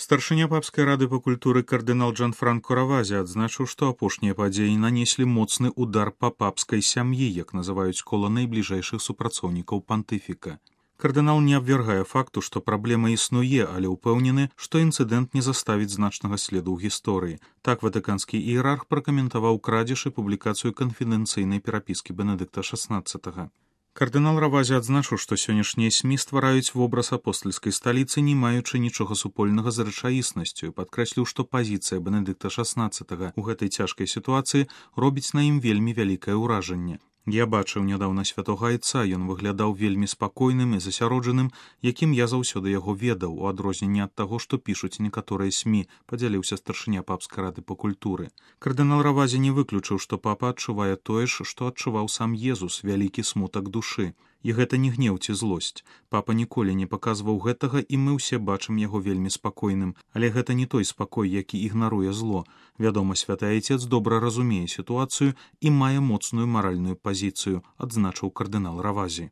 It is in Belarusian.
Старшыня папскай рады па культуры кардынал Джанфранко Равази адзначыў, што апошнія падзеі нанеслі моцны удар па папскай сям'і, як называюць кола найбліжэйшых супрацоўнікаў пантыфіка. Кардынал не абвяргае факту, што праблема існуе, але ўпэўнены, што інцыдэнт не заставіць значнага следу ў гісторыі. Так ватыканскі іерарх пракаментаваў крадзеж і публікацыю канфідэнцыйнай перапіскі Бенедыкта XVI. Кардынал Равази адзначыў, што сённяшнія СМІ ствараюць вобраз апостальскай сталіцы, не маючы нічога супольнага з рэчаіснасцю, і падкрэсліў, што пазіцыя Бенедыкта XVI ў гэтай цяжкай сітуацыі робіць на ім вельмі вялікае ўражанне. Я бачыў нядаўна святога айца, ён выглядаў вельмі спакойным і засяроджаным, якім я заўсёды яго ведаў, у адрозненне ад таго, што пішуць некаторыя СМІ, падзяліўся старшыня папскай рады па культуры. Кардынал Равази не выключыў, што папа адчувае тое ж, што адчуваў сам Езус, вялікі смутак душы. І гэта не гнеў ці злосць. Папа ніколі не паказваў гэтага, і мы ўсе бачым яго вельмі спакойным. Але гэта не той спакой, які ігнаруе зло. Вядома, святы айцец добра разумее сітуацыю і мае моцную маральную пазіцыю, адзначыў кардынал Равази.